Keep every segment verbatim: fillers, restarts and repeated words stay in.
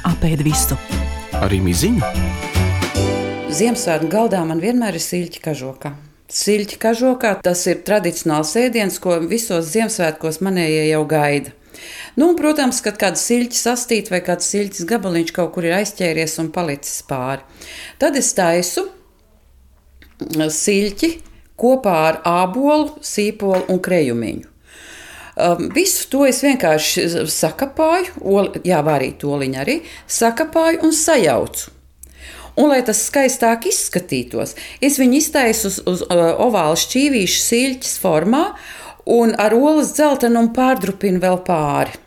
Apēd visu. Arī miziņu? Ziemassvētku galdā man vienmēr ir siļķa kažokā. Siļķa kažokā tas ir tradicionāls ēdiens, ko visos Ziemassvētkos manējie jau gaida. Nu, un, protams, kad kāda siļķa sastīta vai kāds siļķis gabaliņš kaut kur ir aizķēries un palicis pāri. Tad es taisu siļķi kopā ar ābolu, sīpolu un krejumiņu. Um, visu to es vienkārši sakapāju, oli, jā, vārīt oliņu arī, sakapāju un sajaucu. Un, lai tas skaistāk izskatītos, es viņu iztaisu uz, uz uh, ovāla šķīvīšu siļķes formā un ar olas dzeltenumu pārdrupinu vēl pāri.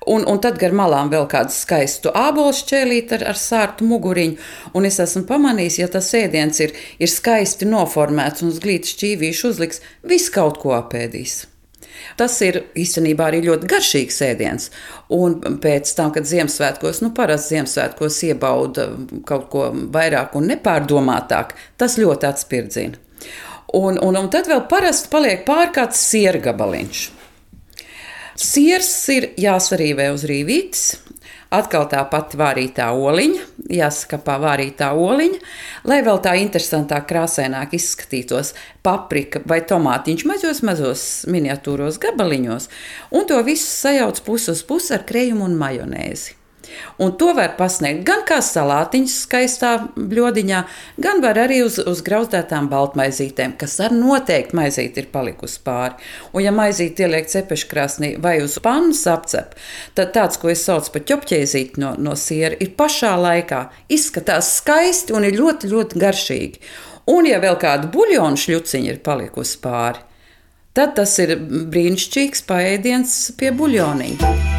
Un, un tad gar malām vēl kādu skaistu ābolu šķēlīt ar, ar sārtu muguriņu. Un es esmu pamanījis, ja tas ēdiens ir, ir skaisti noformēts un uz glīta šķīvīšu uzliks, viss kaut ko apēdīs. Tas ir īstenībā arī ļoti garšīgs ēdiens. Un pēc tam, kad Ziemassvētkos, nu parasti Ziemassvētkos iebauda kaut ko vairāk un nepārdomātāk, tas ļoti atspirdzina. Un, un, un tad vēl parasti paliek pār kāds siera gabaliņš. Siers ir jāsarīvē uz rīvītes, atkal tā pati vārītā oliņa, jāskapā vārītā oliņa, lai vēl tā interesantāk, krāsaināk izskatītos paprika vai tomātiņš mazos, mazos miniatūros gabaliņos, un to visu sajauc pusi uz pusi ar krejumu un majonēzi. Un to var pasniegt gan kā salātiņš skaistā bļodiņā, gan var arī uz, uz grauzdētām baltmaizītēm, kas ar noteikti maizīti ir palikusi pāri. Un ja maizīti ieliek cepeškrāsnī vai uz pannas apcep, tad tāds, ko es saucu par ķopķēzīti no, no siera, ir pašā laikā, izskatās skaisti un ir ļoti, ļoti garšīgi. Un ja vēl kāda buļļona šļuciņa ir palikusi pāri, tad tas ir brīnišķīgs paēdiens pie buļļoniņa.